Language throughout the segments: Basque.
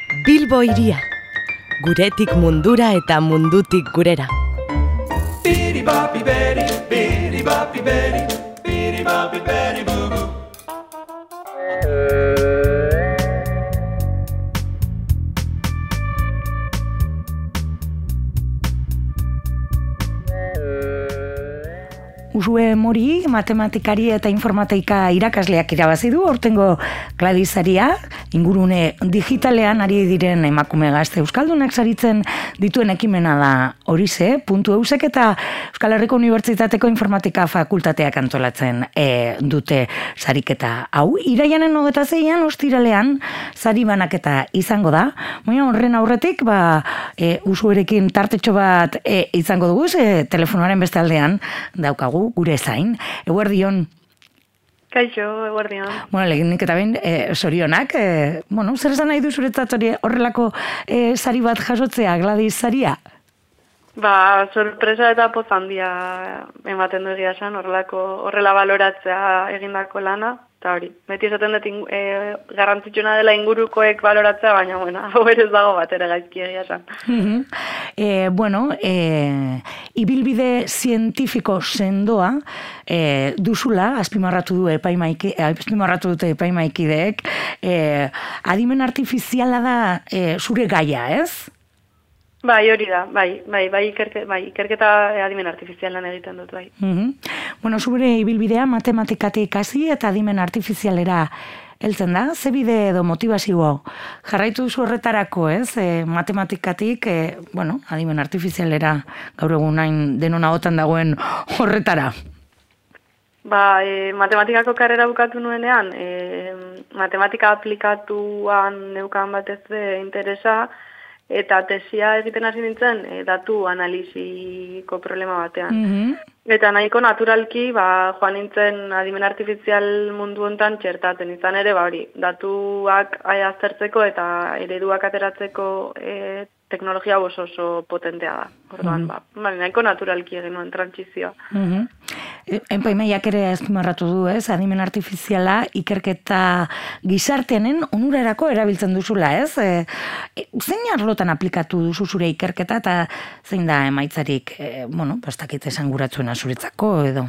Bilbo hiria, guretik mundura eta mundutik gurera. Usue Mori, matematikari eta informatika irakasleak irabazi du, aurtengo Gladys saria, ingurune digitalean ari diren emakume gazte euskaldunak saritzen dituen ekimena da horixe, .eusek eta Euskal Herriko Unibertsitateko informatika fakultateak antolatzen dute sariketa hau. Iraianen 26an ostiralean sari banaketa izango da, baina horren aurretik usuerekin tartetxo bat izango dugu, telefonoaren beste aldean daukagu gure zain. Eguerdion. Kaixo, eguerdion. Lehenik eta behin, sorionak. Zer esan nahi du zuretzat horrelako sari bat jasotzea, Gladys saria? Sorpresa eta poz handia ematen du egia esan, horrela baloratzea egindako lana. Eta hori, beti esaten dut garrantzitsuna dela ingurukoek baloratzea, baina hau ere ez dago bat ere gaizki egia esan. Ibilbide zientifiko sendoa duzula, azpimarratu dute epaimaikideek, adimen artifiziala da zure gaia, ez? Bai, hori da, ikerketa adimen artifizialan egiten dut, bai. Zure ibilbidea matematikatik hasi eta adimen artifizialera heltzen da? Ze bide edo motivazio jarraitu duzu horretarako, ez? Matematikatik, adimen artifizialera gaur egun hain denon ahotan dagoen horretara. Matematikako karrera bukatu nuenean, matematika aplikatuan neukan batez interesa, eta tesia egiten hasi nintzen datu analiziko problema batean. Eta nahiko naturalki joan nintzen adimen artifizial mundu hontan txertaten izan ere, datuak aztertzeko eta ereduak ateratzeko teknologia oso potentea da. Orduan, nahiko naturalki egin nuen trantsizioa. Epaimaiak ere azpimarratu du, ez? Adimen artifiziala ikerketa gizarteanen onurarako erabiltzen duzula, ez? Zein arlotan aplikatu duzu zure ikerketa eta zein da emaitzarik, bastakit esanguratzuena zuretzako edo?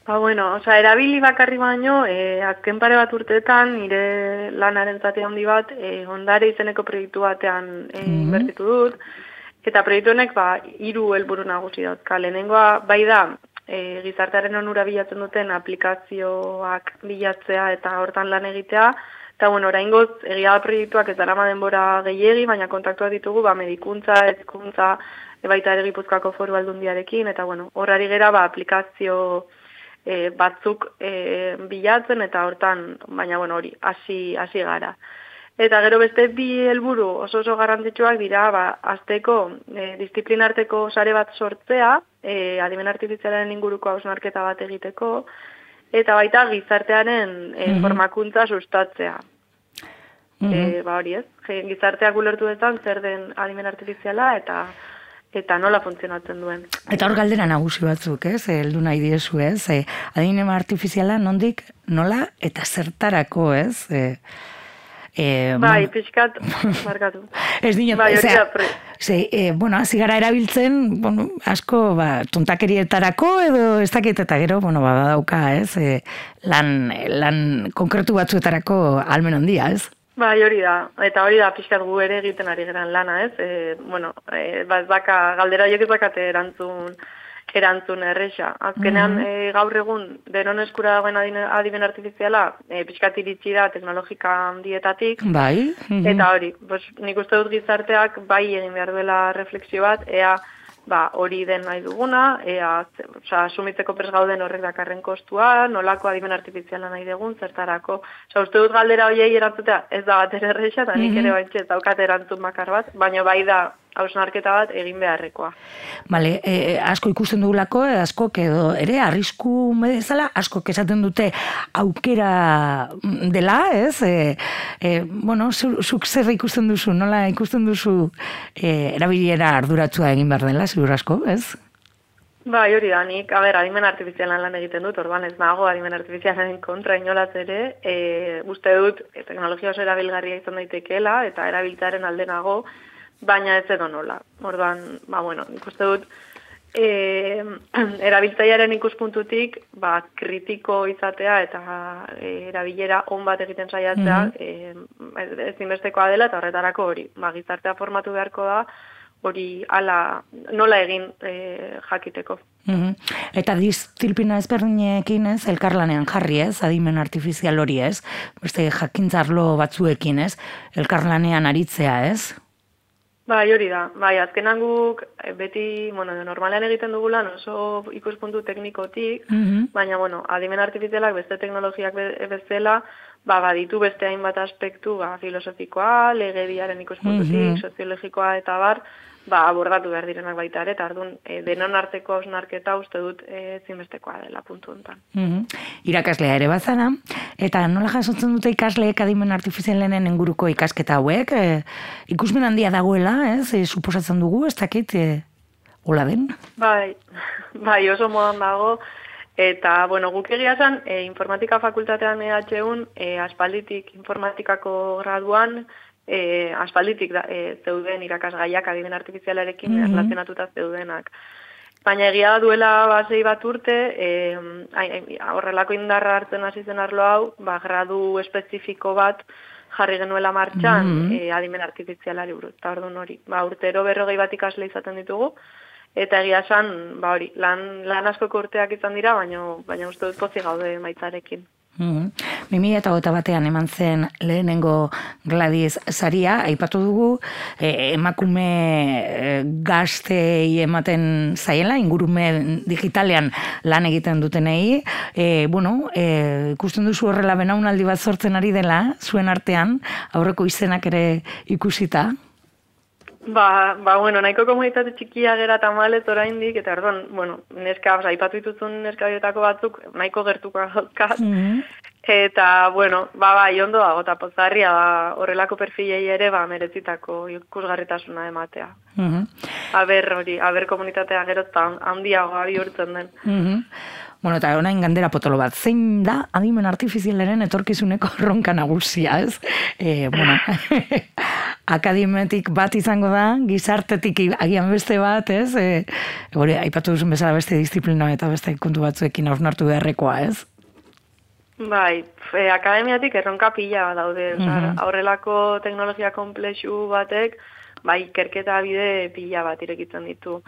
Erabili bakarri baino, azken pare bat urteetan, nire lanaren zati handi bat, ondare izeneko proiektu batean inbertitu dut, eta proiektu honek 3 helburu nagusi dauzka. Lehenengoa bai da, gizartearen onura bilatzen duten aplikazioak bilatzea eta hortan lan egitea, eta oraingoz egia da proiektuak ez darama denbora gehiegi, baina kontaktuak ditugu medikuntza, hezkuntza, baita ere Gipuzkoako Foru Aldundiarekin, eta horrari gera aplikazio batzuk bilatzen eta hortan, baina hori, hasi gara. Eta gero beste 2 helburu oso garrantzitsuak dira, azteko disiplinarteko sare bat sortzea, adimen artifizialaren inguruko hausnarketa bat egiteko, eta baita gizartearen formakuntza sustatzea. Hori ez, gizarteak ulertu dezan zer den adimen artifiziala eta nola funtzionatzen duen. Eta hor galdera nagusi batzuk, ez? Heldu nahi diezu, ez? Adimen artifiziala nondik, nola eta zertarako, ez? Pixkat, markatu. Ez dinot, hasi gara erabiltzen, asko, tontakerietarako edo ez dakit eta gero, badauka, ez? Lan konkretu batzuetarako almen handia, ez? Hori da, eta hori da pixkat gu ere egiten ari geran lana, ez? Galdera horiek ez bakate erantzun erresa. Azkenean, gaur egun, denon eskura dagoen adimen artifiziala, pixkat iritsi da teknologika handietatik. Eta hori, nik uste dut gizarteak bai egin behar duela refleksio bat, ea hori den nahi duguna, asumitzeko prest gauden horrek dakarren kostua, nolako adimen artifiziala nahi dugun, zertarako. Uste dut galdera horiei erantzutea ez da bat erresa, eta nik ere baitxe ez daukat erantzun bakar bat, baina bai da hausnarketa bat egin beharrekoa. Asko ikusten dugulako, asko edo ere arrisku bezala, asko esaten dute aukera dela, ez? Zuk zer ikusten duzu, nola ikusten duzu erabilera arduratsua egin behar dela, ziur asko, ez? Bai, hori da, nik, adimen artifizialan lan egiten dut, orduan ez nago adimen artifizialaren kontra inolaz ere, uste dut, teknologia oso erabilgarria izan daitekeela, eta erabiltzaren alde nago, baina ez edo nola. Orduan, nik uste dut, erabiltzailearen ikuspuntutik, kritiko izatea eta erabilera on bat egiten saiatzea, ezinbestekoa dela, eta horretarako hori, gizartea formatu beharko da, hori nola egin jakiteko. Eta disziplina ezberdinekin ez, elkarlanean jarri ez, adimen artifizial hori ez, beste jakintzarlo batzuekin ez, elkarlanean aritzea ez? Bai, hori da. Bai, azkenan guk beti, normalean egiten dugulan oso ikuspuntu teknikotik, baina, adimen artifizialak beste teknologiak bezala, baditu beste hainbat aspektu, filosofikoa, legediaren ikuspuntutik, soziologikoa eta abordatu behar direnak baita ere, eta ardun denon arteko hausnarketa uste dut ezinbestekoa dela puntu honetan. Irakaslea ere bazara, eta nola jasotzen dute ikasleek adimen artifizialen inguruko ikasketa hauek, ikusmen handia dagoela, ez, suposatzen dugu, ez dakit, hola den? Bai, oso modan dago, eta, guk egia zen, informatika fakultatean EHUn, aspalditik informatikako graduan, aspalditik zeuden irakasgaiak adimen artifizialarekin erlazionatuta zeudenak. Baina egia da duela 6 bat urte, horrelako indarra hartzen hasi zen arlo hau, gradu espezifiko bat jarri genuela martxan adimen artifizialari buruz. Eta orduan hori, urtero 40 bat ikasle izaten ditugu, eta egia esan, hori, lan askoko urteak izan dira, baina uste dut pozik gaude maitzarekin. 2021 eman zen lehenengo Gladys saria, aipatu dugu, emakume gaztei ematen zaiela, ingurumen digitalean lan egiten dutenei, ikusten duzu horrela belaunaldi bat sortzen ari dela, zuen artean, aurreko izenak ere ikusita? Nahiko komunitate txikia gera tamalez oraindik, eta orduan, neska, aipatu dituzun neska horietako batzuk, nahiko gertuko gauzkaz, eta, bai, ondo dago, eta pozarria da, horrelako perfilei ere, merezitako ikusgarritasuna ematea. Aber komunitatea gerozta handiagoa bihurtzen den. Eta orain gandera potolo bat, zein da adimen artifizialaren etorkizuneko erronka nagusia, ez? Akademiatik bat izango da, gizartetik agian beste bat, ez? Aipatu duzun bezala beste disiplina eta beste kontu batzuekin hausnartu beharrekoa, ez? Bai, akademiatik erronka pila daude, aurrelako teknologia komplexu batek, ikerketa bide pila bat irekitzen ditu.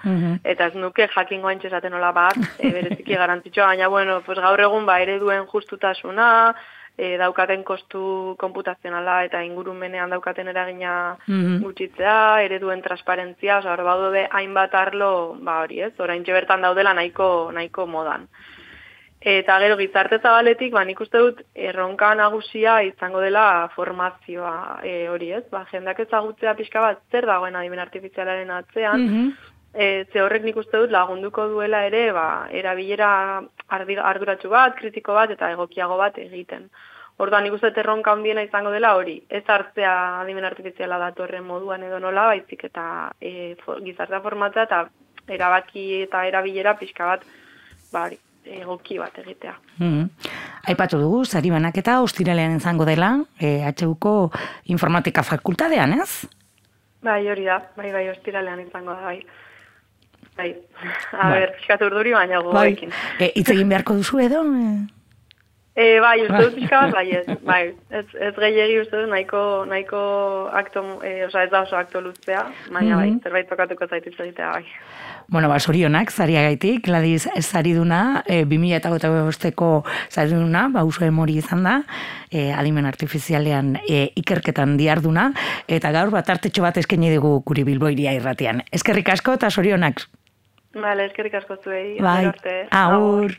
Eta ez nuke jakingo haintxe esaten nola bat, bereziki garantzitsua, baina, gaur egun ereduen justutasuna, daukaten kostu konputazionala eta ingurumenean daukaten eragina gutxitzea, ereduen transparentzia, hor baude hainbat arlo, hori ez, oraintxe bertan daudela nahiko modan. Eta gero gizarte zabaletik, nik uste dut erronka nagusia izango dela formazioa hori ez, jendeak ezagutzea pixka bat zer dagoen adimen artifizialaren atzean, ze horrek nik uste dut lagunduko duela ere, erabilera arduratsu bat, kritiko bat eta egokiago bat egiten. Orduan nik uste dut erronka handiena izango dela hori, ez hartzea adimen artifiziala datorren moduan edo nola, baizik eta gizartea formatzea eta erabaki eta erabilera pixka bat, egoki bat egitea. Aipatu dugu, sari banaketa ostiralean izango dela, HUko informatika fakultatean, ez? Bai, hori da, bai, ostiralean izango da, bai. Pixkat urduri baina gogoekin. Hitz egin beharko duzu edo? Bai, uste dut pixka bat, bai, ez gehiagi uste dut nahiko akto, ez da oso akto luztea, baina bai, zerbait tokatuko zaituz egitea, bai. Sorionak, zariagaitik, Gladys sariduna, 2025ko sariduna, uso emori izan da, adimen artifizialean ikerketan diarduna, eta gaur artetxo bat eskaini dugu guri Bilboiria irratian. Eskerrik asko eta sorionak. Eskerrik asko zuei. Bai, agur.